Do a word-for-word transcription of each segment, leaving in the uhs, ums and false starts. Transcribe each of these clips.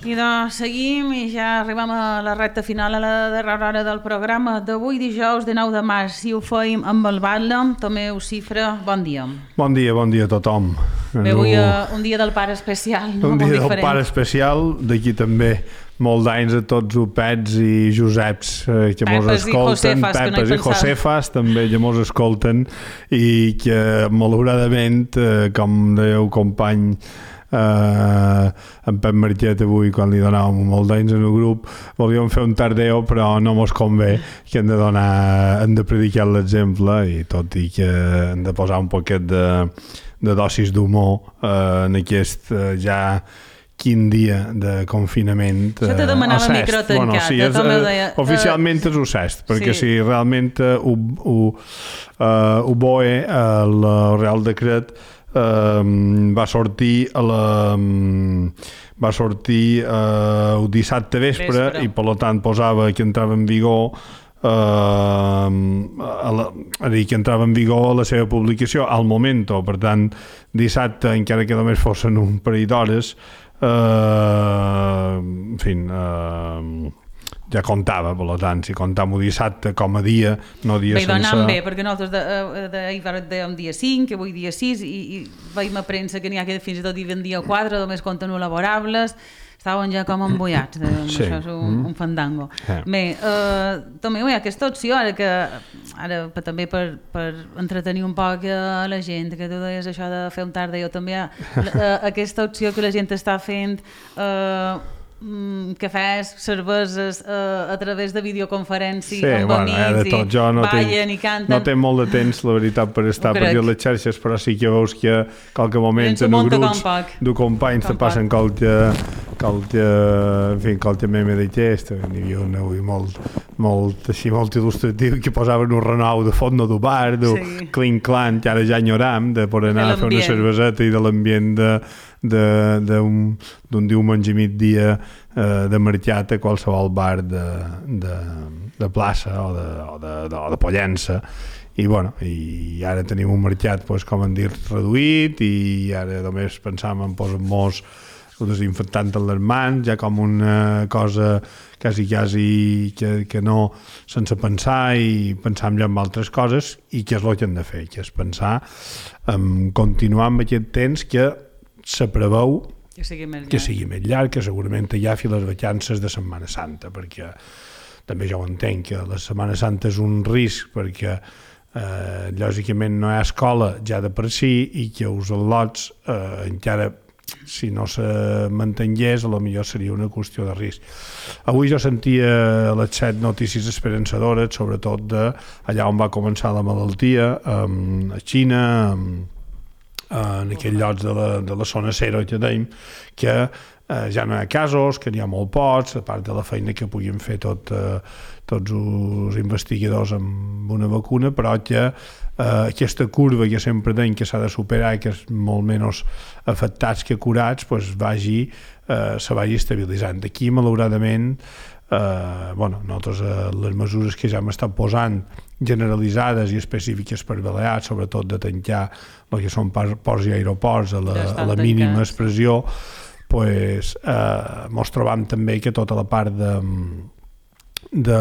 I doncs seguim i ja arribem a la recta final, a la darrera hora del programa d'avui, dijous de nou de març. Si ho feim amb el Batlle, Tomeu Cifra, bon dia. Bon dia, bon dia a tothom. Bé, avui uh, un dia del pare especial, no? Un Molt dia diferent. del pare especial, d'aquí també molt d'anys a tots els Pets i Joseps eh, que mos escolten, Pepes i Josefas també que mos escolten i que malauradament, eh, com dèieu company Uh, en Pep Marquet avui quan li donàvem molt d'anys en el grup volíem fer un tardeo però no mos convé, que hem de donar hem de predicar l'exemple i tot i que hem de posar un poquet de, de dosis d'humor uh, en aquest uh, ja quin dia de confinament. Això te demanava uh, micro tancat. Bueno, sí, és, uh, deia, oficialment uh, és ho cest, perquè sí. si realment uh, ho, ho, uh, ho boe el Real Decret Uh, va sortir a la, um, va sortir uh, el dissabte vespre, vespre i per tant posava que entrava en vigor uh, a la, a dir, que entrava en vigor la seva publicació al moment, per tant dissabte encara que només fossin un parell d'hores uh, en fi uh, ja comptava, per tant, si comptam un dissabte com a dia, no dia bé, sense... Bé, donant bé, perquè nosaltres d'ahir dèiem dia cinc, que avui dia sis, i, i veiem a premsa que n'hi ha que fins i tot diuen dia quatre, només compten laborables, estaven ja com embollats, de, sí. Això és un, mm. un fandango. Yeah. Bé, eh, també hi ha aquesta opció, ara que ara per, també per, per entretenir un poc a la gent, que tu deies això de fer un tard, jo també hi ha eh, aquesta opció que la gent està fent... Eh, cafès, cerveses uh, a través de videoconferència sí, amb bueno, amics eh, tot. Jo no i ballen tinc, i canten. No té molt de temps, la veritat, per estar per dir les xarxes, però sí que veus que qualque moment en els grups de companys te passen qualque, qualque, en fi, qualque meme d'aquest. N'hi havia un avui molt, molt, així, molt il·lustratiu que posaven un renou de font de bar, de sí. clinc-clanc, que ara ja enyoram, de per anar a fer una cerveseta i de l'ambient de d'un diumenge i migdia eh, de mercat a qualsevol bar de, de, de plaça o de, o de, de, o de Pollença i, bueno, i ara tenim un mercat pues, com han dit reduït i ara només pensàvem en posar-nos desinfectant en les mans ja com una cosa quasi quasi que, que no sense pensar i pensar ja en altres coses i què és el que hem de fer, que és pensar en continuar amb aquest temps que se preveu que sigui més llarg, que, sigui més llarg, que segurament hi ha les vacances de Setmana Santa, perquè també jo ho entenc, que la Setmana Santa és un risc, perquè eh, lògicament no hi ha escola ja de per si i que els al·lots eh, encara si no se mantengués, a lo millor seria una qüestió de risc. Avui jo sentia les set notícies esperançadores, sobretot de allà on va començar la malaltia, a Xina, en aquells llocs de la, de la zona zero que tenim, que eh, ja no hi ha casos, que n'hi ha molt pocs, a part de la feina que puguin fer tot, eh, tots els investigadors amb una vacuna, però que eh, aquesta curva que sempre tenim que s'ha de superar i que és molt menys afectats que curats, pues, vagi, eh, se vagi estabilitzant. Aquí, malauradament, eh, bueno, nosaltres eh, les mesures que ja hem estat posant generalitzades i específiques per Balears, sobretot de tancar el que són ports i aeroports a la, a la mínima expressió, pues, eh, mos trobam també que tota la part de, de,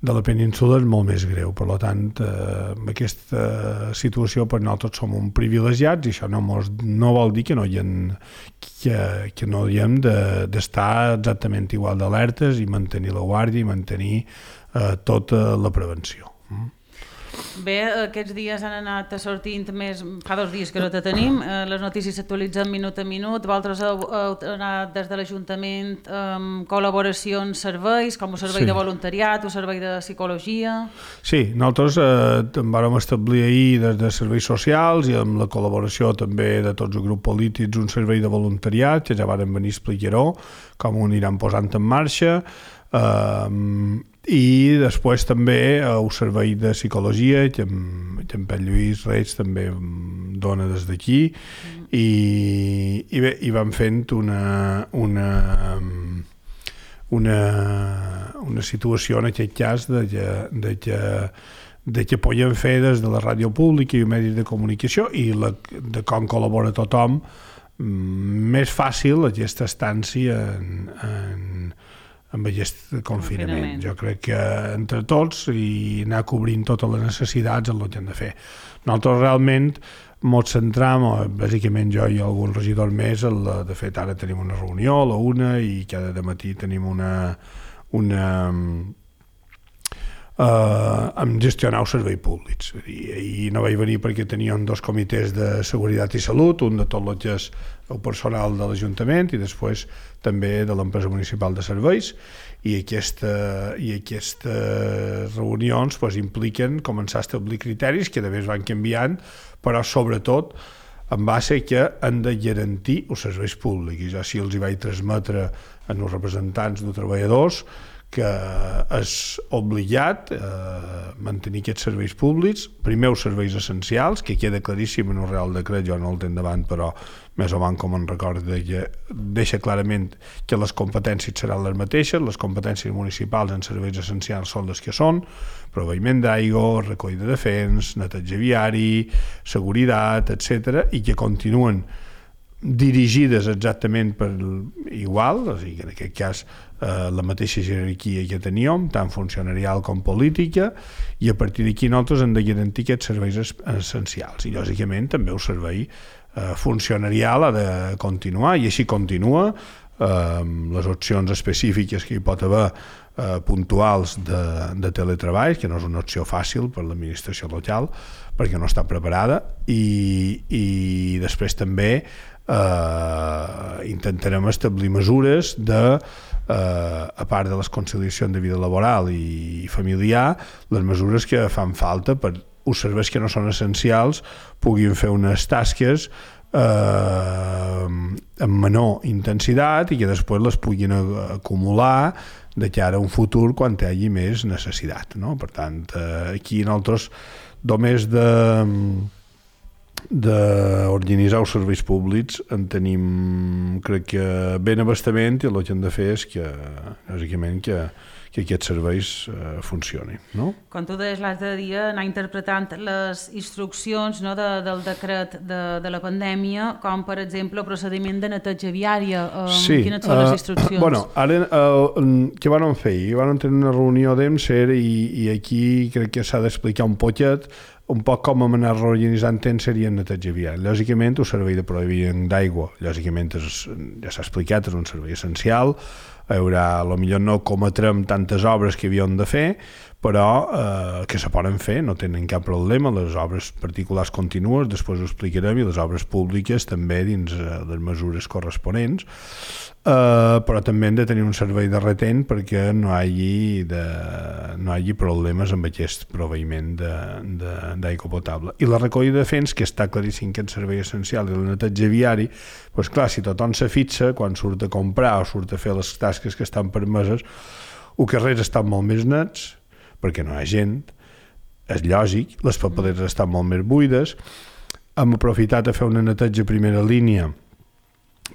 de la península és molt més greu. Per tant, eh, aquesta situació per nosaltres som un privilegiats i això no, mos, no vol dir que no hi ha, que, que no hi hem d'estar exactament igual d'alertes i mantenir la guàrdia i mantenir eh, tota la prevenció. Mm. Bé, aquests dies han anat sortint més, fa dos dies que no te tenim, eh, les notícies s'actualitzen minut a minut, vosaltres heu, heu anat des de l'Ajuntament amb col·laboracions, serveis, com un servei sí. de voluntariat, un servei de psicologia... Sí, nosaltres eh, vam establir ahir des de serveis socials i amb la col·laboració també de tots els grups polítics un servei de voluntariat, que ja varen venir a explicar-ho, com ho aniran posant en marxa, eh, i després també el servei de psicologia que en, que en Pep Lluís Reig també dona des d'aquí mm. i, i bé, i vam fent una una una, una situació en aquest cas de que, de que, de que podem fer des de la ràdio pública i els medis de comunicació i la, de com col·labora tothom més fàcil aquesta estància en, en, amb aquest confinament. Jo crec que entre tots i anar cobrint totes les necessitats és el que hem de fer. Nosaltres realment ens centram, bàsicament jo i algun regidor més, la, de fet ara tenim una reunió a la una i cada matí tenim una, una Uh, amb gestionar els serveis públics. I, i no vaig venir perquè teníem dos comitès de seguretat i salut, un de tot el que és el personal de l'Ajuntament i després també de l'empresa municipal de serveis, i, aquesta, i aquestes reunions pues, impliquen començar a establir criteris que també es van canviant, però sobretot en base que han de garantir els serveis públics. I jo sí els hi vaig transmetre als representants dels treballadors que és obligat eh, mantenir aquests serveis públics, primer els serveis essencials, que queda claríssim en el Real Decret, jo no el tenc davant, però més o menys com en recordo que deixa clarament que les competències seran les mateixes, les competències municipals en serveis essencials són les que són, proveïment d'aigua, recollida de fens, neteja viari, seguretat, etcètera, i que continuen dirigides exactament per igual, o sigui, en aquest cas eh, la mateixa jerarquia que teníem, tant funcionarial com política, i a partir d'aquí nosaltres hem de garantir aquests serveis essencials, i lògicament també el servei eh, funcionarial ha de continuar, i així continua, eh, les opcions específiques que hi pot haver eh, puntuals de, de teletreball, que no és una opció fàcil per l'administració local, perquè no està preparada, i, i després també Uh, intentarem establir mesures de, uh, a part de les conciliacions de vida laboral i familiar, les mesures que fan falta per els serveis que no són essencials puguin fer unes tasques uh, amb menor intensitat i que després les puguin acumular de cara a un futur quan hi hagi més necessitat, no? Per tant, uh, aquí nosaltres només de d'organitzar els serveis públics en tenim, crec que ben abastament, i el que hem de fer és que, lògicament, que, que aquests serveis eh, funcionin, no? Com tu deies l'altre dia, anar interpretant les instruccions, no, de, del decret de, de la pandèmia, com per exemple el procediment de neteja viària. Um, sí, quines són les instruccions? Uh, bueno, ara, uh, què van fer? Van tenir una reunió d'EMSER i, i aquí crec que s'ha d'explicar un poquet un poc com hem anat reorganitzant temps seria neteja viària. Lògicament, el servei de proveïment d'aigua, lògicament, és, ja s'ha explicat, és un servei essencial. Hi haurà, potser no cometrem tantes obres que havíem de fer, però eh, que se poden fer, no tenen cap problema. Les obres particulars contínues, després ho explicarem, i les obres públiques també dins eh, les mesures corresponents. Uh, però també hem de tenir un servei de retent perquè no hi hagi, de, no hi hagi problemes amb aquest proveïment d'aigua potable. I la recollida de fens, que està claríssim que és servei essencial, i el neteja viari, doncs clar, si tothom se fixa, quan surt a comprar o surt a fer les tasques que estan permeses, els carrers estan molt més nets, perquè no hi ha gent, és lògic, les papereres estan molt més buides, hem aprofitat a fer una neteja a primera línia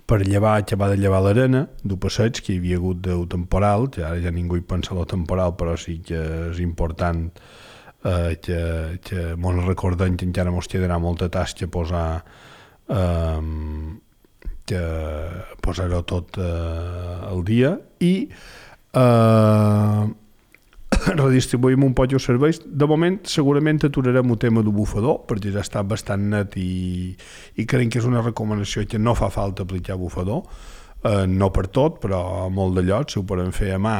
per llevar, acabar de llevar l'arena del passeig, que hi havia hagut del temporal, que ara ja ningú hi pensa en el temporal, però sí que és important eh, que, que ens recordem que encara ens quedarà molta tasca posar eh, que posar-ho tot eh, al dia i eh, redistribuïm un poc els serveis. De moment segurament aturarem el tema del bufador perquè ja està bastant net i, i crec que és una recomanació que no fa falta aplicar bufador, eh, no per tot, però a molt de llocs si ho podem fer a mà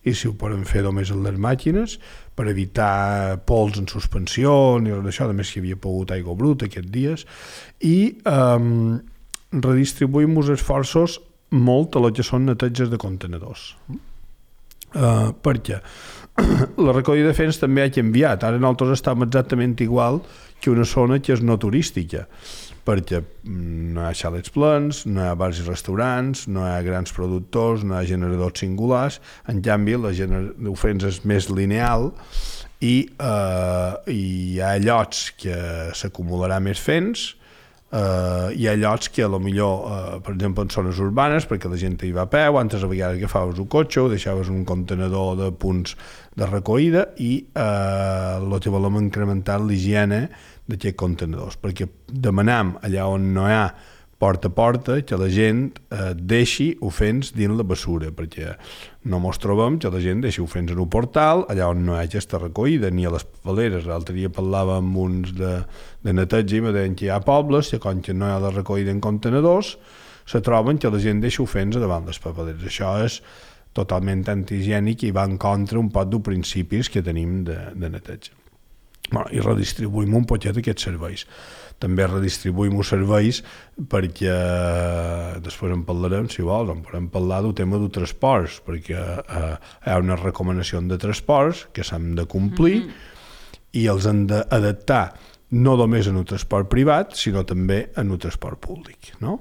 i si ho podem fer només en les màquines per evitar pols en suspensió ni res d'això, a més que hi havia pogut aigua bruta aquests dies, i eh, redistribuïm els esforços molt a lo que són neteges de contenedors. Uh, perquè la recollida de fens també ha canviat. Ara nosaltres estem exactament igual que una zona que és no turística, perquè no hi ha xalets plens, no hi ha bars i restaurants, no hi ha grans productors, no hi ha generadors singulars. En canvi, la gener... el fens és més lineal i uh, hi ha llocs que s'acumularà més fens. Uh, hi ha llocs que a lo millor, uh, per exemple en zones urbanes, perquè la gent hi va a peu, antes a vegades agafaves un cotxe o deixaves un contenedor de punts de recollida i uh, el que volem incrementar l'higiene d'aquests contenidors, perquè demanam allà on no hi ha porta a porta, que la gent eh, deixi ofens dins la bessura, perquè no mos trobem que la gent deixi ofens en un portal, allà on no hi ha aquesta recollida, ni a les papeleres. L'altre dia parlava amb uns de, de neteja i me deien que hi ha pobles que com que no hi ha la recollida en contenedors, se troben que la gent deixa ofens davant les papeleres. Això és totalment antihigiènic i va en contra un poc dels principis que tenim de, de neteja. Bueno, i redistribuïm un poquet aquests serveis. També redistribuïm els serveis perquè després en parlarem, si vols, en podem parlar del tema dels transports, perquè eh, hi ha una recomanació de transports que s'han de complir mm-hmm. i els han d'adaptar no només en el transport privat, sinó també en el transport públic, no?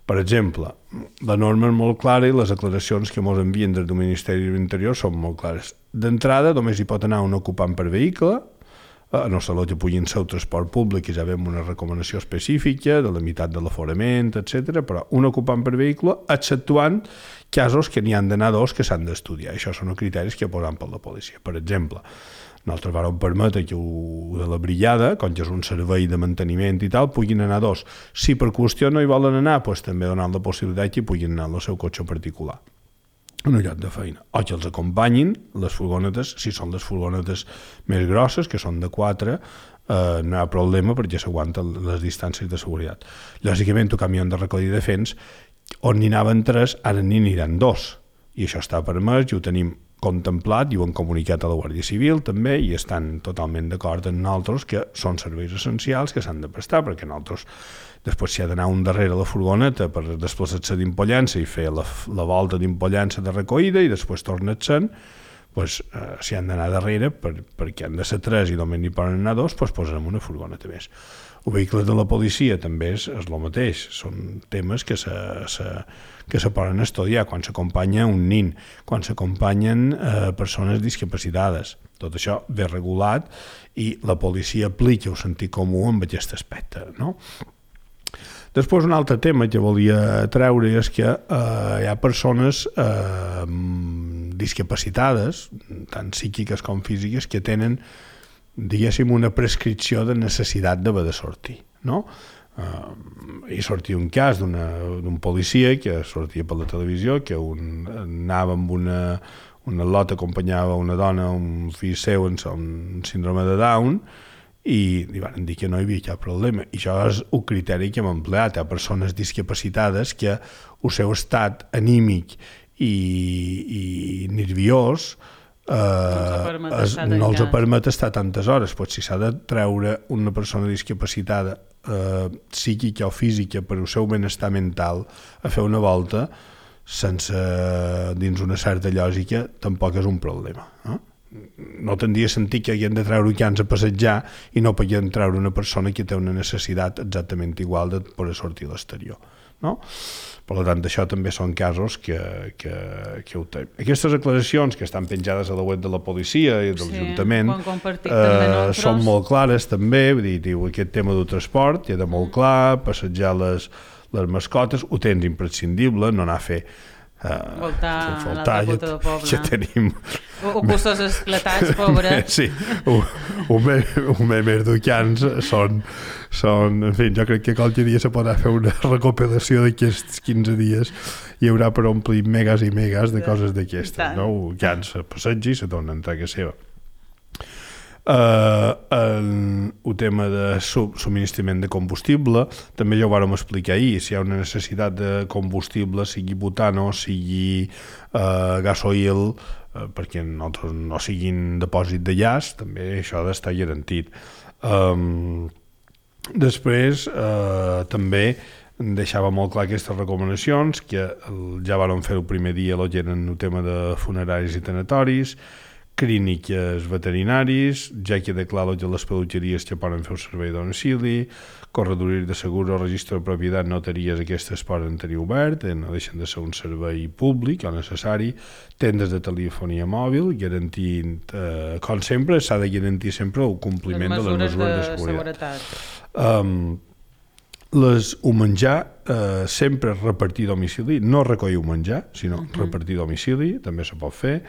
Per exemple, la norma és molt clara i les declaracions que ens envien des del Ministeri de l'Interior són molt clares. D'entrada, només hi pot anar un ocupant per vehicle, a no ser que puguin ser el transport públic, i ja veiem una recomanació específica de la meitat de l'aforament, etcètera, però un ocupant per vehicle, exceptuant casos que n'hi han d'anar dos que s'han d'estudiar. Això són els criteris que posen per la policia. Per exemple, nosaltres vam permetre que ho de la brigada, com que és un servei de manteniment i tal, puguin anar dos. Si per qüestió no hi volen anar, doncs també donant la possibilitat que puguin anar al seu cotxe particular en un lloc de feina, o que els acompanyin les furgonetes, si són les furgonetes més grosses, que són de quatre, eh, no hi ha problema perquè s'aguanten les distàncies de seguretat. Lògicament, el camió de recollida de fens, on n'hi anaven tres, ara n'hi aniran dos, i això està permès i ho tenim contemplat i ho han comunicat a la Guàrdia Civil també, i estan totalment d'acord amb nosaltres que són serveis essencials que s'han de prestar, perquè nosaltres després s'hi ha d'anar un darrere la furgoneta per desplaçar-se d'impollança i fer la, la volta d'impollança de recollida i després tornar-se'n, doncs, eh, s'hi han d'anar darrere per, perquè han de ser tres i només n'hi poden anar dos, doncs posarem una furgoneta més. El vehicle de la policia també és, és el mateix, són temes que se, se, que se poden estudiar quan s'acompanya un nin, quan s'acompanyen eh, persones discapacitades. Tot això ve regulat i la policia aplica el sentit comú amb aquest aspecte, no? Després, un altre tema que volia treure és que eh, hi ha persones eh, discapacitades, tant psíquiques com físiques, que tenen, diguéssim, una prescripció de necessitat d'haver de sortir, no? Eh, hi sortia un cas d'un policia que sortia per la televisió, que un, anava amb una, una lot, acompanyava una dona, un fill seu amb un síndrome de Down, i li van dir que no hi havia cap problema. I això és un criteri que hem empleat. Hi ha persones discapacitades que el seu estat anímic i, i nerviós eh, no els no els permet estar tantes hores. Pues si s'ha de treure una persona discapacitada eh, psíquica o física per al seu benestar mental a fer una volta sense dins una certa lògica, tampoc és un problema, no? No tindria sentit que haguem de treure cans a passejar i no podem treure una persona que té una necessitat exactament igual de poder sortir a l'exterior, no? Per tant, això també són casos que, que, que ho té. Aquestes declaracions que estan penjades a la web de la policia i de l'Ajuntament sí, eh, són molt clares també, vull dir, diu, aquest tema del transport queda molt clar, passejar les, les mascotes, ho tens imprescindible, no anar a fer Uh, voltar a l'altra punta del poble. Ja tenim... O, o costos esclatats, pobre. Sí, un més d'ucans són, són... En fi, jo crec que qualque dia se podrà fer una recopilació d'aquests quinze dies i hi haurà per omplir megas i megas de coses d'aquestes, no? Ucans se passegi i se tornen a casa seva. Uh, el, el tema de subministrament de combustible també ja ho vàrem explicar ahir. Si hi ha una necessitat de combustible, sigui butano, sigui uh, gasoil, uh, perquè nosaltres no siguin depòsit de gas, també això ha d'estar garantit. Um, després uh, també deixava molt clar aquestes recomanacions que el, ja vàrem fer el primer dia, lo que eren el tema de funeraris i tanatoris, clíniques veterinaris, ja queda clar que les peluqueries que poden fer el servei de domicili, corredoris de seguro, registre de propietat, notaries, aquestes poden tenir obert, no deixen de ser un servei públic o necessari, tendes de telefonia mòbil, garantint, eh, com sempre, s'ha de garantir sempre el compliment les de les mesures de, de seguretat. Um, les, el menjar eh, sempre repartir domicili, no recollir el menjar, sinó uh-huh. repartir domicili, també se pot fer,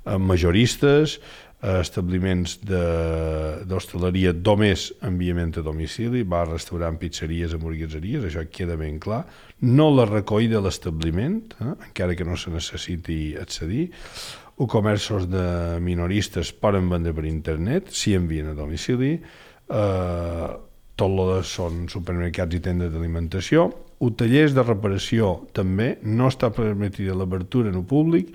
majoristes, establiments d'hostaleria només enviament a domicili, bar, restaurant, pizzeries, hamburgueseries, això queda ben clar. No la recollida de l'establiment, eh, encara que no se necessiti accedir. O comerços de minoristes poden vendre per internet, si envien a domicili. Eh, tot el que són supermercats i tendes d'alimentació. O tallers de reparació també, no està permetida l'obertura en el públic,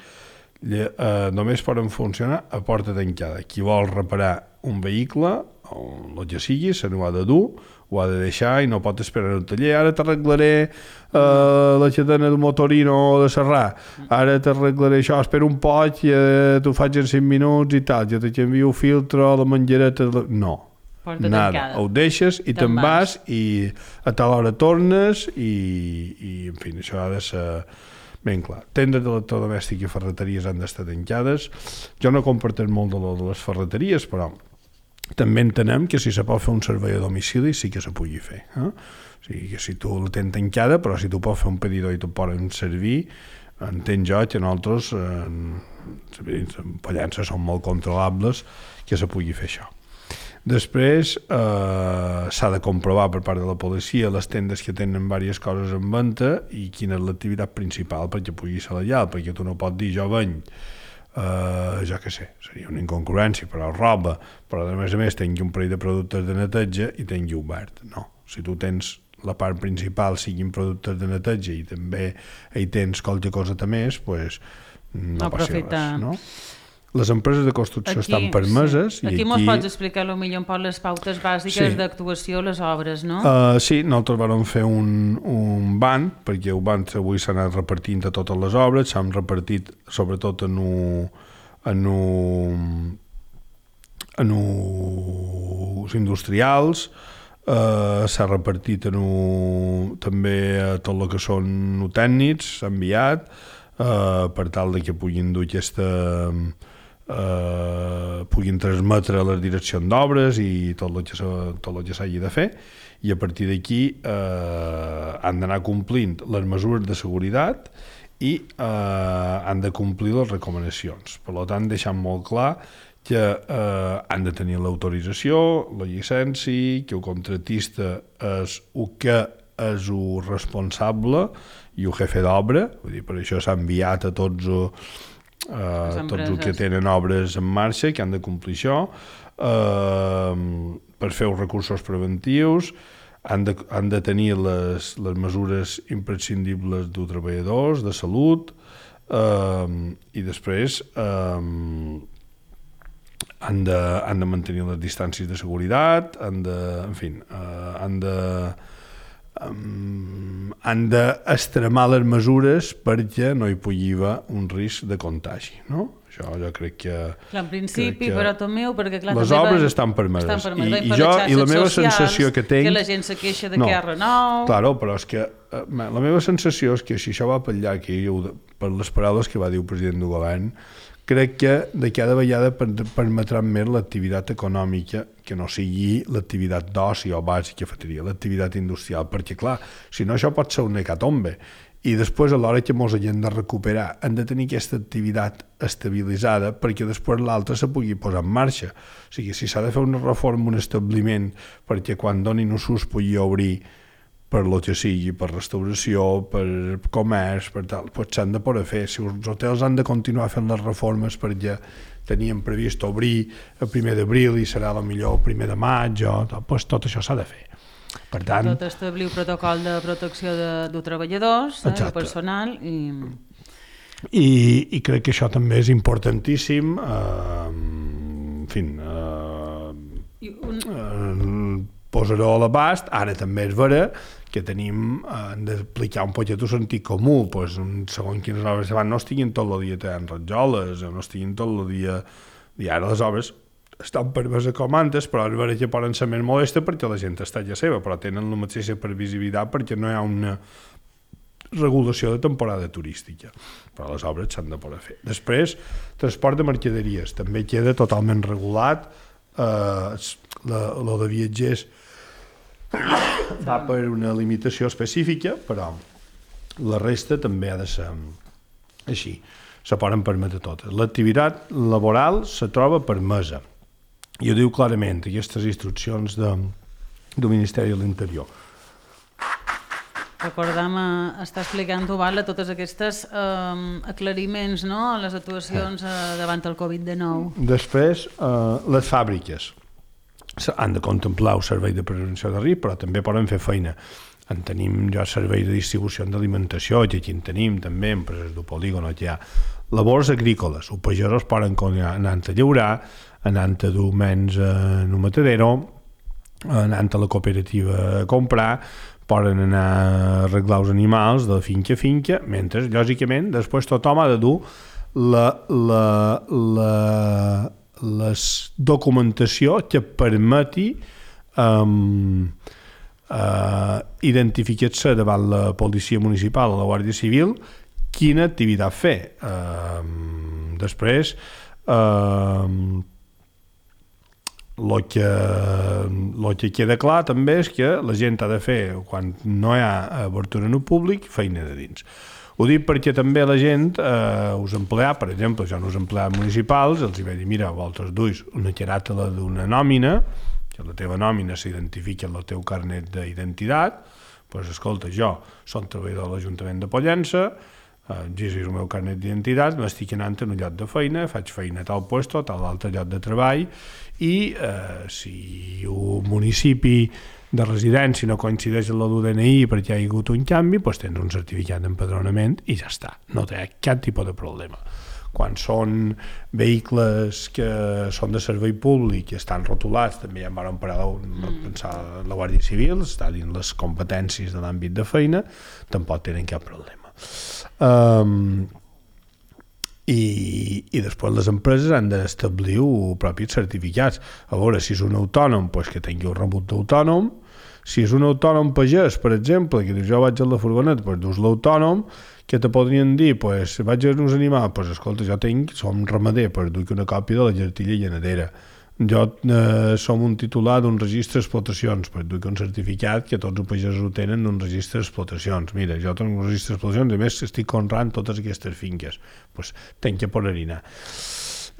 Eh, només poden funcionar a porta tancada. Qui vol reparar un vehicle, o el que sigui, se n'ho ha de dur, ho ha de deixar i no pot esperar al taller. Ara t'arreglaré eh, la cadena del motorino de serrar, ara t'arreglaré això, espera un poc i eh, t'ho faig en cinc minuts i tal, ja t'envio el filtre, la menjareta... No, porta nada, tancada. Ho deixes i te'n vas i a tal hora tornes i, i en fi, això ha de ser ben clar. Tendes d'electrodomèstic i ferreteries han d'estar tancades. Jo no comparteix molt de, de les ferreteries, però també entenem que si se pot fer un servei a domicili sí que se pugui fer. Eh? O sigui, que si tu la tens tancada, però si tu pots fer un pedidor i t'ho poden servir, entenc jo que nosaltres eh, pollences són molt controlables que se pugui fer això. Després eh, s'ha de comprovar per part de la policia les tendes que tenen diverses coses en venda i quina és l'activitat principal perquè pugui ser legal, perquè tu no pots dir jo venc, eh, jo què sé, seria una incongruència, però roba, però a més a més tingui un parell de productes de neteja i tingui obert. No, si tu tens la part principal siguin productes de neteja i també hi tens qualque cosa més, pues, no, no passi res, no? Les empreses de construcció aquí, estan permeses. Sí. Aquí, aquí mos pots explicar potser un poc les pautes bàsiques sí. d'actuació a les obres, no? Uh, sí, nosaltres vam fer un, un ban, perquè el ban avui s'ha anat repartint a totes les obres, s'han repartit sobretot en un, en un, en uns industrials, uh, s'ha repartit en un, també a tot el que són tècnics, s'ha enviat, uh, per tal de que puguin dur aquesta... Uh, puguin transmetre a les direccions d'obres i tot el que, tot el que s'hagi de fer, i a partir d'aquí uh, han d'anar complint les mesures de seguretat i uh, han de complir les recomanacions. Per tant, deixant molt clar que uh, han de tenir l'autorització, la llicència, que el contratista és el que és el responsable i el jefe d'obra, vull dir, per això s'ha enviat a tots Uh, tots els que tenen obres en marxa que han de complir això, uh, per fer els recursos preventius, han de, han de tenir les, les mesures imprescindibles dels treballadors, de salut, uh, i després uh, han, de, han de mantenir les distàncies de seguretat, han de, en fi, uh, han de Um, han d'extremar les mesures perquè no hi pugui haver un risc de contagi, no? Això jo crec que... Clar, en principi, que però també, perquè clar... Les obres estan permeses. I, i jo, i la meva socials, sensació que tinc... Que la gent se queixa de no, que hi ha renou... Claro, però és que la meva sensació és que si això va per allà, que jo, per les paraules que va dir el president del govern, crec que de cada vegada permetrà més l'activitat econòmica que no sigui l'activitat d'oci o bàsica, cafeteria, l'activitat industrial, perquè clar, si no això pot ser un hecatombe i després a l'hora que mos hagin de recuperar hem de tenir aquesta activitat estabilitzada perquè després l'altra se pugui posar en marxa. O sigui, si s'ha de fer una reforma en un establiment perquè quan donin un sus pugui obrir per lo que sigui, per restauració, per comerç, per tal, doncs s'han de poder fer. Si els hotels han de continuar fent les reformes perquè tenien previst obrir el primer d'abril i serà millor el primer de maig, o, doncs tot això s'ha de fer. Per tant... Tot establir un protocol de protecció de, de treballadors, eh, de personal, i... I... I crec que això també és importantíssim, eh, en fi, eh, un... eh, posar-ho a l'abast. Ara també és vera que tenim, hem d'aplicar un poquet el sentit comú, pues, segons quines obres se van, no estiguin tot el dia tallant rajoles, no estiguin tot el dia... I ara les obres estan permeses com antes, però és vera que poden ser més molestes perquè la gent està ja seva, però tenen la mateixa previsibilitat perquè no hi ha una regulació de temporada turística. Però les obres s'han de poder fer. Després, transport de mercaderies. També queda totalment regulat. Eh, la, la de viatgers va per una limitació específica, però la resta també ha de ser així. se poden permetre totes. L'activitat laboral se troba permesa. I ho diu clarament aquestes instruccions de, del Ministeri de l'Interior. Recordam, eh, està explicant-ho, vale, totes aquestes eh, aclariments, no?, a les actuacions eh, davant el covid dinou. Després, eh, les fàbriques han de contemplar el servei de prevenció de risc, però també poden fer feina. En tenim ja serveis de distribució d'alimentació, que aquí en tenim també, empreses del polígon, que hi ha labors agrícoles, els pagesos poden anar a llaurar, anant a dur menys en un matadero, anant a la cooperativa a comprar, poden anar a arreglar els animals de finca a finca, mentre, lògicament, després tothom ha de dur la, la, la, la documentació que permeti um, uh, identificar-se davant la policia municipal o la Guàrdia Civil quina activitat fer. Uh, després, uh, el que, el que queda clar també és que la gent ha de fer, quan no hi ha obertura en el públic, feina de dins. Ho dic perquè també la gent, eh, us empleats, per exemple, jo no us empleats municipals, els hi vaig dir, mira, vosaltres duis una caràtula d'una nòmina, que la teva nòmina s'identifica en el teu carnet d'identitat, doncs escolta, jo som treballador de l'Ajuntament de Pollença, exigis el meu carnet d'identitat, m'estic anant en un lloc de feina, faig feina a tal lloc, a tal altre lloc de treball, i eh, si un municipi de residència no coincideix amb el D N I perquè hi ha hagut un canvi, doncs tens un certificat d'empadronament i ja està, no té cap tipus de problema. Quan són vehicles que són de servei públic i estan rotulats, també ja em van parar de pensar la Guàrdia Civil, està dins les competències de l'àmbit de feina, tampoc tenen cap problema. Um, i, i després les empreses han d'establir els propis certificats. A veure, si és un autònom, doncs que tingui el rebut d'autònom. Si és un autònom pagès, per exemple, que dius jo vaig a la furgoneta, doncs dus l'autònom, que te podrien dir, doncs vaig a uns animals, doncs escolta, jo tinc, som ramader, doncs duc una còpia de la cartilla llanadera. Jo eh, som un titular d'un registre d'explotacions, doncs duc un certificat que tots els pagesos ho tenen d'un registre d'explotacions. Mira, jo tinc un registre d'explotacions i a més estic conrant totes aquestes finques. Doncs tenc que poder-hi anar.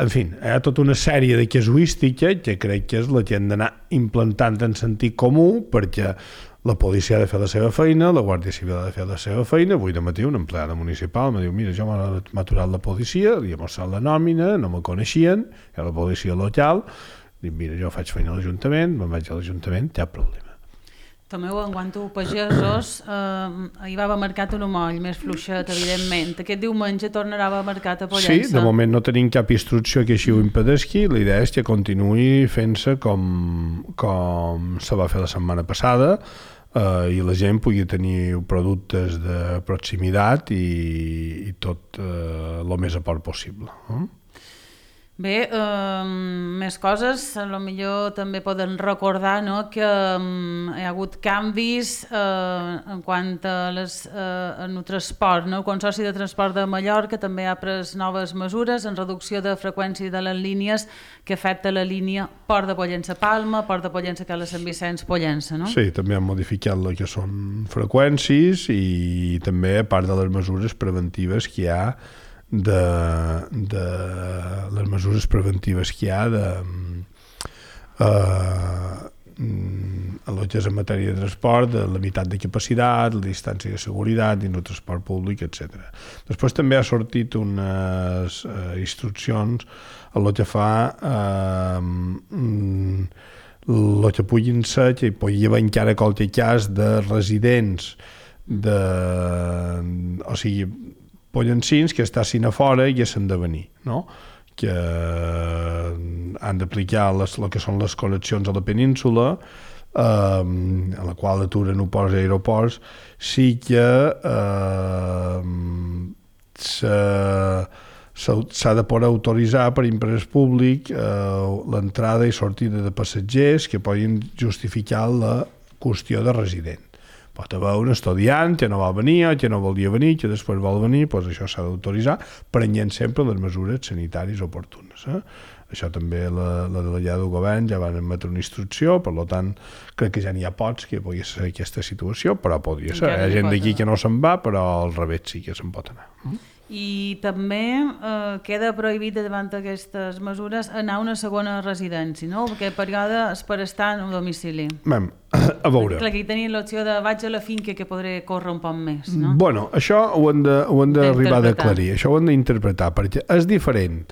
En fi, hi ha tota una sèrie de casuístiques que crec que és la que hem d'anar implantant en sentit comú, perquè la policia ha de fer la seva feina, la Guàrdia Civil ha de fer la seva feina. Avui de matí un empleada municipal em diu, mira, jo m'ha aturat la policia, li he mostrat la nòmina, no me coneixien, era la policia local, dic, mira, jo faig feina a l'Ajuntament, me'n vaig a l'Ajuntament, cap problema. Tomeu, en quant a pagesos, eh, ahir va haver mercat un moll més fluixet, evidentment. Aquest diumenge tornarà a haver mercat a Pollença. Sí, de moment no tenim cap instrucció que així ho impedesqui. La idea és que continuï fent-se com, com se va fer la setmana passada, eh, i la gent pugui tenir productes de proximitat i, i tot eh, el més a prop possible. Eh? Bé, eh, més coses, potser també poden recordar, no, que eh, hi ha hagut canvis eh, en quant a les, eh, en el transport. No? El Consorci de Transport de Mallorca també ha pres noves mesures en reducció de freqüència de les línies que afecta la línia Port de Pollença-Palma, Port de Pollença-Cala Sant Vicenç-Pollença, no? Sí, també han modificat el que són freqüències i també a part de les mesures preventives que hi ha de, de les mesures preventives que hi ha de eh, el que és en matèria de transport, de limitat de capacitat, la distància de seguretat dins el transport públic, etcètera. Després també ha sortit unes eh, instruccions a el que fa eh, el que puguin ser, que hi pugui haver encara qualque cas de residents de, o sigui, pollencins que estassin a fora i haguessin de venir, no? Que han d'aplicar les, el que són les connexions a la península, eh, a la qual aturen aeroports i aeroports, sí que eh, s'ha de poder autoritzar per interès públic eh, l'entrada i sortida de passatgers que poden justificar la qüestió de resident. Pot haver un estudiant que no va venir, que no volia venir, que després vol venir, doncs això s'ha d'autoritzar, prenent sempre les mesures sanitàries oportunes. Eh? Això també la, la delegada del govern ja van emetre una instrucció, per tant, crec que ja n'hi ha pocs que pugui ser aquesta situació, però podria ser. Hi ha gent d'aquí que no se'n va, però al revés sí que se'n pot anar. Mm? I també eh, queda prohibit davant d'aquestes mesures anar a una segona residència, no? Perquè el període és per estar en un domicili. Mem, a veure... Clar, que hi tenia l'opció de vaig a la finca que podré córrer un poc més, no? Bueno, això ho hem d'arribar a aclarir, això ho hem d'interpretar, perquè és diferent.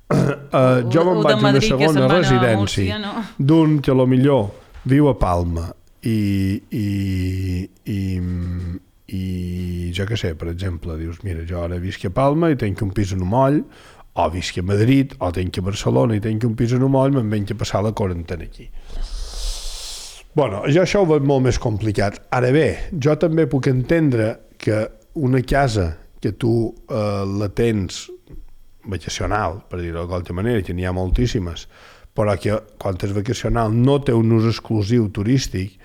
Uh, jo me'n vaig a una segona residència no? d'un que potser viu a Palma i... i, i i jo què sé, per exemple, dius, mira, jo ara visc a Palma i tenc un pis en Moll, o visc a Madrid, o tenc a Barcelona i tenc un pis en Moll, me'n venc a passar la quarantena aquí. Bueno, jo això ho veig molt més complicat. Ara bé, jo també puc entendre que una casa que tu eh, la tens vacacional, per dir-ho de qualsevol manera, que n'hi ha moltíssimes, però que quan és vacacional no té un ús exclusiu turístic,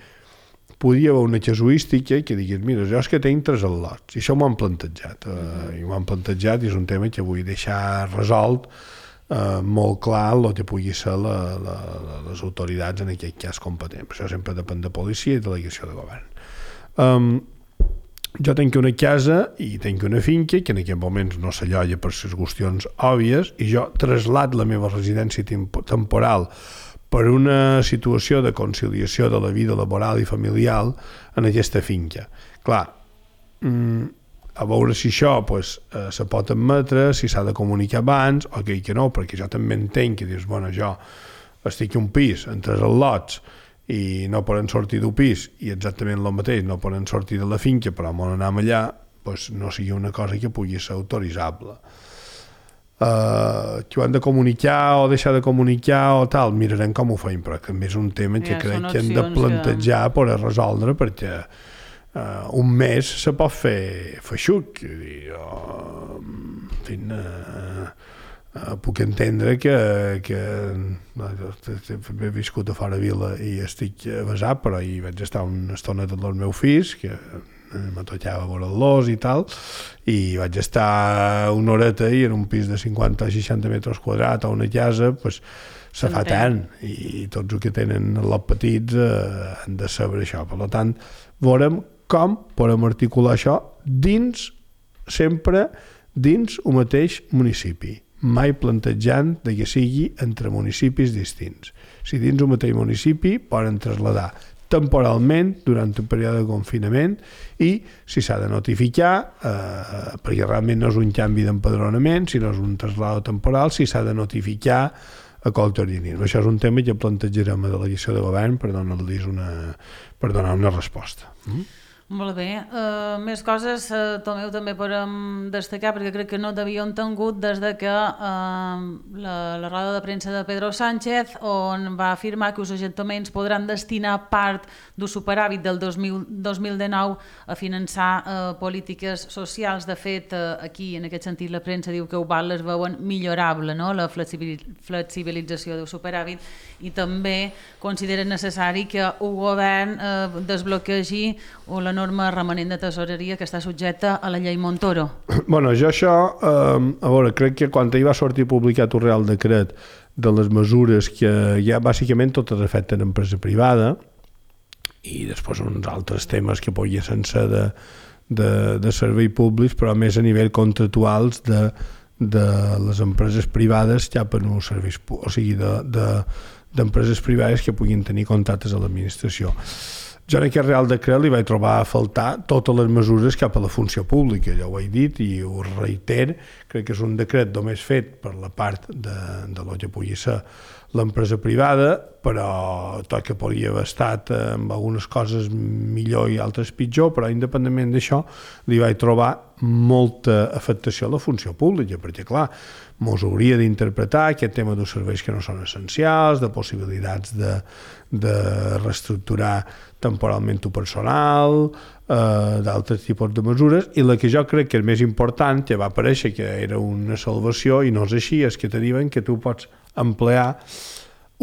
podria haver una casuística que digués, mira, jo és que tinc tres al·lots, i això m'ho han plantejat, uh, i m'ho han plantejat i és un tema que vull deixar resolt uh, molt clar el que pugui ser la, la, les autoritats en aquest cas competents. Això sempre depèn de policia i delegació de govern. Um, jo tinc una casa i tinc una finca que en aquest moments no s'alloia per les qüestions òbvies i jo trasllat la meva residència temporal per una situació de conciliació de la vida laboral i familiar en aquesta finca. Clar, a veure si això pues, eh, se pot admetre, si s'ha de comunicar abans, o que, que no, perquè jo també entenc que dius, bueno, jo estic en un pis, en tres al·lots, i no poden sortir d'un pis, i exactament el mateix, no poden sortir de la finca, però on anem allà, pues, no sigui una cosa que pugui ser autoritzable. Uh, que ho han de comunicar o deixar de comunicar o tal, mirarem com ho feim, però també és un tema que ja, crec que hem de plantejar que... per a resoldre, perquè uh, un mes se pot fer feixuc, dir, oh, en fi, uh, uh, puc entendre que, que uh, he viscut a fora vila i estic basat, però hi vaig estar una estona dels meus fills, que me tocava veure-los i tal, i vaig estar una horeta i en un pis de cinquanta o seixanta metres quadrats o una casa, pues, se fa tant, i tots els que tenen els petits eh, han de saber això. Per tant, veurem com podem articular això dins, sempre dins el mateix municipi, mai plantejant de que sigui entre municipis distints. Si dins el mateix municipi poden traslladar temporalment durant un període de confinament i si s'ha de notificar, eh, perquè realment no és un canvi d'empadronament, sinó és un trasllat temporal, si s'ha de notificar a qualsevol organisme. Això és un tema que plantejarem a la delegació de govern per donar-los una, per donar una resposta. Mm? Molt bé. Uh, més coses, uh, Tomeu, també podem destacar, perquè crec que no t'havíem tingut des de que uh, la, la roda de premsa de Pedro Sánchez, on va afirmar que els ajuntaments podran destinar part del superàvit del dos mil dinou a finançar uh, polítiques socials. De fet, uh, aquí, en aquest sentit, la premsa diu que ho val, les veuen millorable, no?, la flexibilització del superàvit, i també considera necessari que el govern uh, desbloquegi la norma remanent de tesoreria que està subjecta a la llei Montoro. Bueno, jo això, eh, a veure, crec que quan hi va sortir publicat un Real Decret de les mesures que ja bàsicament totes afecten empresa privada i després uns altres temes que podien ser de, de, de servei públics, però més a nivell contractuals de, de les empreses privades cap en uns serveis, o sigui, de, de, d'empreses privades que puguin tenir contactes a l'administració. Jo en aquest Real Decret li vaig trobar a faltar totes les mesures cap a la funció pública, ja ho he dit i ho reiter, crec que és un decret només fet per la part de, de lo que pugui ser l'empresa privada, però tot que podria haver estat amb algunes coses millor i altres pitjor, però independentment d'això li vaig trobar molta afectació a la funció pública, perquè clar, mos hauria d'interpretar aquest tema dels serveis que no són essencials, de possibilitats de, de reestructurar temporalment el personal, eh, d'altres tipus de mesures, i la que jo crec que és més important, que va aparèixer que era una salvació, i no és així, és que te diuen que tu pots emplear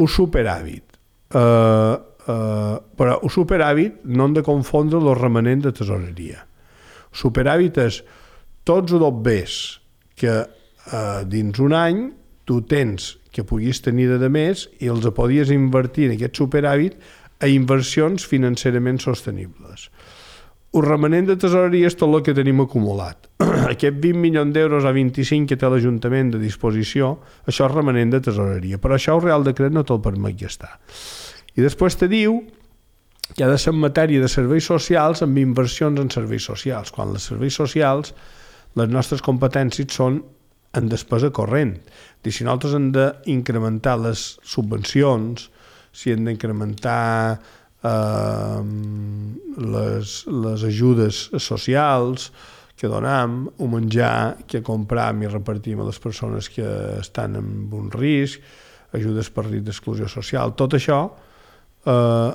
un superàvit. Uh, uh, però un superàvit no hem de confondre el remanent de tesoreria. Superàvit és tots els béns que uh, dins un any tu tens que puguis tenir de més i els podies invertir en aquest superàvit a inversions financerament sostenibles. el remanent de tesoreria és tot el que tenim acumulat. Aquest vint milions d'euros o vint-i-cinc que té l'Ajuntament de disposició, això és remanent de tesoreria, però això el Real Decret no te'l permet gastar. I després te diu que ha de ser en matèria de serveis socials amb inversions en serveis socials, quan els serveis socials, les nostres competències són en despesa corrent. I si nosaltres hem d'incrementar les subvencions, si hem d'incrementar eh, les, les ajudes socials que donem, o menjar que compram i repartim a les persones que estan en un risc, ajudes per risc d'exclusió social, tot això eh,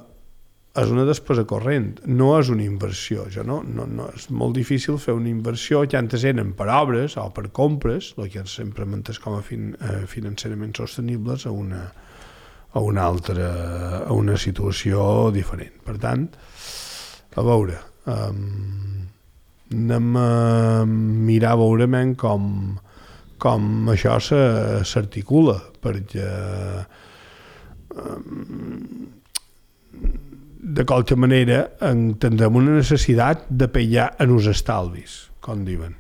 és una despesa corrent, no és una inversió. Jo no, no, no, és molt difícil fer una inversió que antes eren per obres o per compres, el que sempre m'entès com a fin, eh, financerament sostenibles, a una, a una altra, a una situació diferent. Per tant, a veure, um, anem a mirar a veure com, com això s'articula, perquè um, de qualque manera entendrem una necessitat de pillar en els estalvis, com diuen,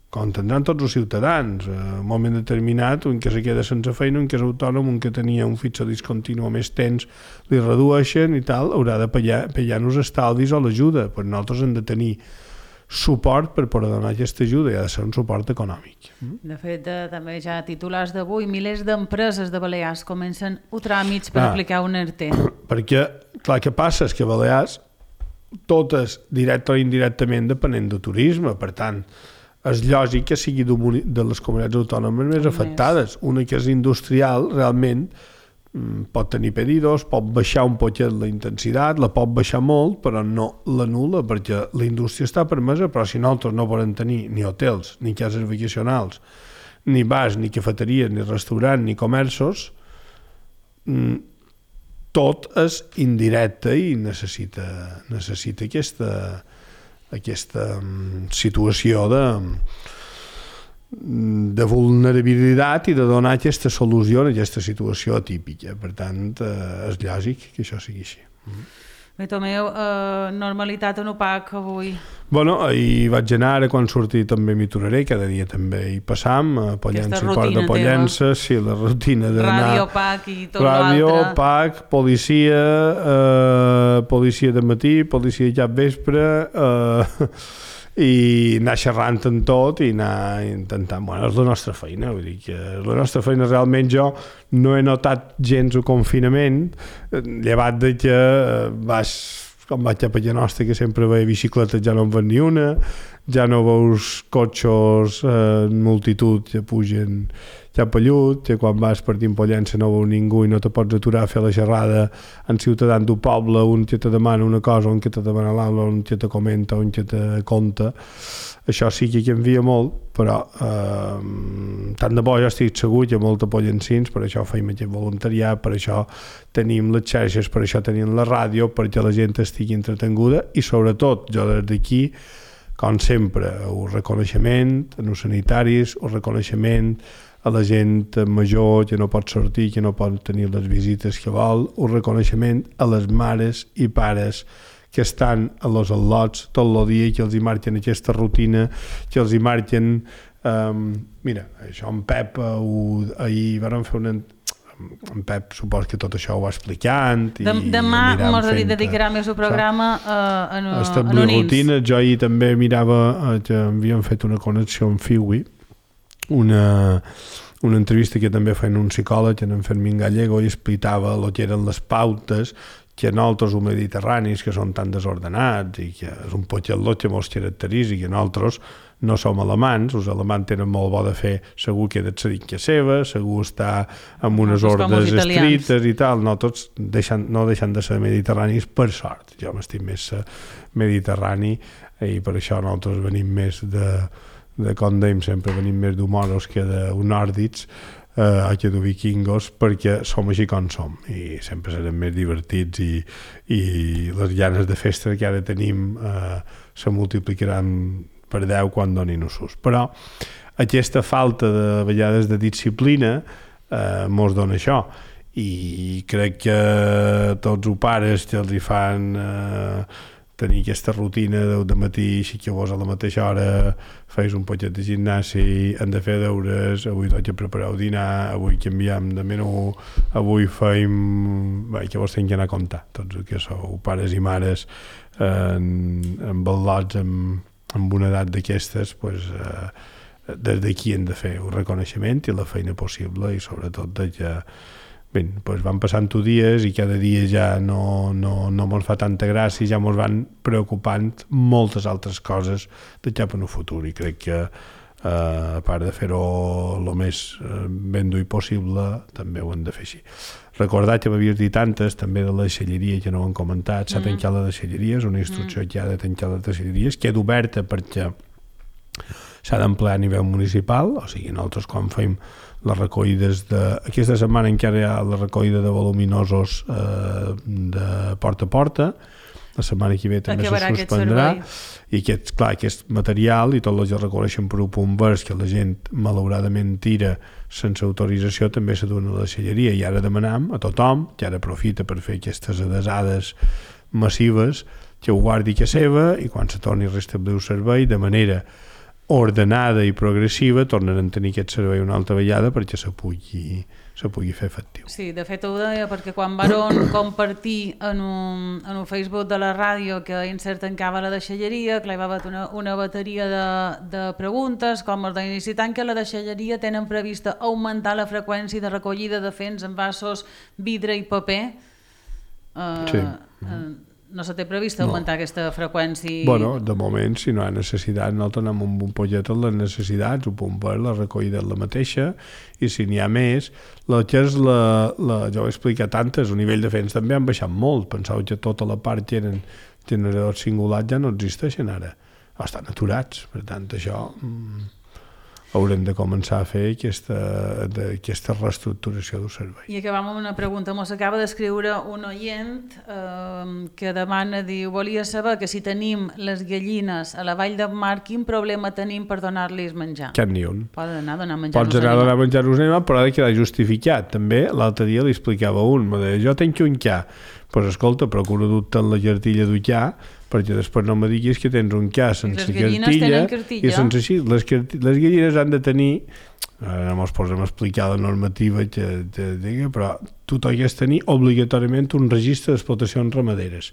com entendran tots els ciutadans. En un moment determinat, un que se queda sense feina, un que és autònom, un que tenia un fitxo discontinu més temps, li redueixen i tal, haurà de pillar, pillar en els estalvis o l'ajuda, però nosaltres hem de tenir suport per poder donar aquesta ajuda i ha de ser un suport econòmic. De fet, de, també ja titulars d'avui, milers d'empreses de Balears comencen a tràmits per ah, aplicar un E R T E. Perquè, clar, què passa? És que a Balears, totes, directe o indirectament, depenent de turisme, per tant, és lògic que sigui de les comunitats autònomes més afectades. Una que és industrial, realment, pot tenir pedidos, pot baixar un poquet la intensitat, la pot baixar molt, però no l'anul·la, perquè la indústria està permesa, però si nosaltres no podem tenir ni hotels, ni cases vacacionals, ni bars, ni cafeteries, ni restaurants, ni comerços, tot és indirecte i necessita, necessita aquesta, aquesta situació de... de vulnerabilitat i de donar aquesta solució a aquesta situació atípica. Per tant, eh, és lògic que això sigui així. Bé, Tomeu, eh, normalitat en O P A C avui? Bueno, ahir vaig anar, ara quan surti també m'hi tornaré, cada dia també hi passam, a Pollença i Port de Pollença, sí, la rutina d'anar... Ràdio, P A C i tot l'altre. Ràdio, P A C, policia, eh, policia de matí, policia cap vespre, eh, i anar xerrant en tot i anar intentant... Bueno, és la nostra feina, vull dir que la nostra feina realment jo no he notat gens el confinament, llevat de que vas, com vaig a Pallanostra, que sempre veia bicicletes, ja no en ven ni una, ja no veus cotxos en eh, multitud que pugen cap a llut, que quan vas partint Pollença no veus ningú i no te pots aturar a fer la xerrada en ciutadans d'un poble, un que te demana una cosa, un que te demana l'altra, un que te comenta, un que te conta. Això sí que canvia molt, però eh, tant de bo jo estic segur que molta pollencins, per això feim aquest voluntariat, per això tenim les xarxes, per això tenim la ràdio, perquè la gent estigui entretenguda i sobretot jo des d'aquí, com sempre, el reconeixement a els sanitaris, el reconeixement a la gent major que no pot sortir, que no pot tenir les visites que vol, un reconeixement a les mares i pares que estan a los al·lots tot el dia, que els hi marquen aquesta rutina, que els hi marquen... Um, mira, això en Pep, uh, ahir vam fer una... En Pep supos que tot això ho va explicant i demà mos dedicarà més el programa a establir rutines. Jo ahir també mirava que havíem fet una connexió amb Fiwi, una, una entrevista que també feien un psicòleg, en Fermín Gallego, i explicava el que eren les pautes que nosaltres, els mediterranis, que són tan desordenats i que és un potxet que mos caracteritza i que nosaltres no som alemans, els alemans tenen molt bo de fer, segur que he d'accedir que seva, segur està amb unes ordres estrictes i tal, no tots deixen, no deixen de ser mediterranis per sort. Jo m'estic més mediterrani i per això nosaltres venim més de, de com dèiem sempre, venim més d'humoros que d'unòrdics, eh, que de vikingos, perquè som així com som i sempre serem més divertits i, i les ganes de festa que ara tenim eh, se multiplicaran per deu quan donin usos. Però aquesta falta de vegades de disciplina eh, mos dona això i crec que tots els pares que els hi fan eh, tenir aquesta rutina de, de matí, aixequeu-vos a la mateixa hora, feis un poquet de gimnàs, hem de fer deures, avui toca preparar el dinar, avui canviem de menú, avui feim... Bé, que vos tenc que anar a comptar, tots els que sou pares i mares en, en ballots amb, amb una edat d'aquestes, pues, eh, des d'aquí hem de fer un reconeixement i la feina possible i sobretot de que bé, doncs van passant dies i cada dia ja no, no, no mos fa tanta gràcia, ja mos van preocupant moltes altres coses de cap en el futur i crec que eh, a part de fer-ho el més ben dur possible també ho hem de fer així. Recordar que m'havies dit antes també de la deixalleria que no ho hem comentat, s'ha tancat la deixalleria, és una instrucció que ha de tancar les deixalleries, queda oberta perquè s'ha d'emplear a nivell municipal, o sigui, nosaltres quan fem les recollides de... Aquesta setmana encara hi ha la recollida de voluminosos eh, de porta a porta, la setmana que ve també se suspendrà, i aquest, clar, aquest material i tot el que reconeixen per un punt vers que la gent malauradament tira sense autorització també se dona a la deixalleria i ara demanam a tothom, que ara aprofita per fer aquestes adesades massives, que ho guardi que seva i quan se torni a restablir el servei de manera ordenada i progressiva tornaran a tenir aquest servei una altra vegada perquè se pugui, se pugui fer efectiu. Sí, de fet ho deia perquè quan van compartir en un, en un Facebook de la ràdio que Incert tancava la deixalleria, que hi va haver una, una bateria de, de preguntes com els d'inici tanca la deixalleria, tenen prevista augmentar la freqüència de recollida de fens, envasos, vidre i paper. Uh, sí. Uh, no se té previst augmentar no. aquesta freqüència? Bueno, de moment, si no hi ha necessitat, nosaltres anem amb un pollet en les necessitats, un punt per la recollida la mateixa, i si n'hi ha més, la que és la, la, ja ho he explicat antes, el nivell de fens també han baixat molt, penseu que tota la part que eren generadors singulars ja no existeixen ara, o estan aturats, per tant això mm, haurem de començar a fer aquesta, de, aquesta reestructuració del servei. I acabam amb una pregunta. Mos acaba d'escriure un oient eh, que demana, diu, volia saber que si tenim les gallines a la vall de Mar, quin problema tenim per donar-los menjar? Cap ni un. Poden anar a donar menjar Pots anar a donar menjar-los animals, però ha de quedar justificat. També l'altre dia li explicava un, me deia, jo tenc un ca, doncs escolta, procura dur-te en la cartilla d'un ca, perquè després no me diguis que tens un ca sense cartilla, i sense així, les, les gallines han de tenir, ara no ens posem a explicar la normativa que, que digui, però tu t'hagués de tenir obligatòriament un registre d'explotacions ramaderes.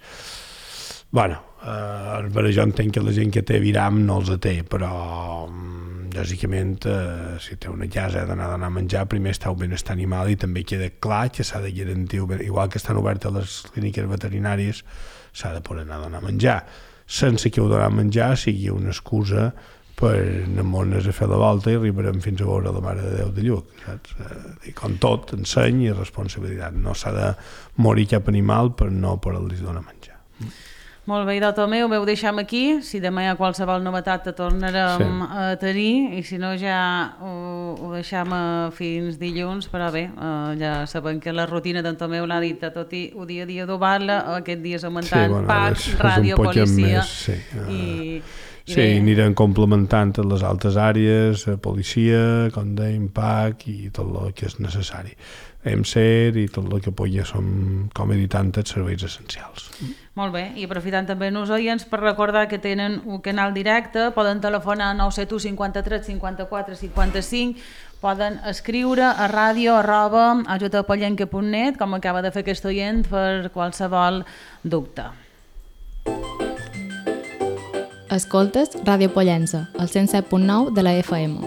Bueno, eh, per això entenc que la gent que té viram no els té, però lògicament eh, si té una casa ha d'anar a donar menjar, primer està el benestar animal i també queda clar que s'ha de garantir, igual que estan obertes les clíniques veterinàries, s'ha de poder anar a donar menjar, sense que el donar menjar sigui una excusa per anar-nos a fer la volta i arribarem fins a veure la Mare de Déu de Lluc, saps? I com tot, enseny i responsabilitat. No s'ha de morir cap animal per no poder-li donar menjar. Molt bé, doctor meu, ho deixem aquí. Si demà hi ha qualsevol novetat te tornarem sí. a tenir i si no ja ho, ho deixem fins dilluns, però bé, eh, ja sabem que la rutina d'en Tomeu l'ha dit, tot i ho dia a dia d'obar-la, aquest dia és augmentant sí, bueno, P A C, és, ràdio, és policia més, sí. i... I sí, bé. Anirem complementant les altres àrees, policia, com dèiem, P A C i tot el que és necessari. E M S E R i tot el que pugui som, com he dit antes, serveis essencials. Molt bé, i aprofitant també els oients per recordar que tenen un canal directe, poden telefonar a nou set u cinquanta-tres cinquanta-quatre cinquanta-cinc, poden escriure a ràdio arroba ajutapollenca punt net, com acaba de fer aquest oient, per qualsevol dubte. Escoltes Ràdio Pollença, al cent set punt nou de la F M.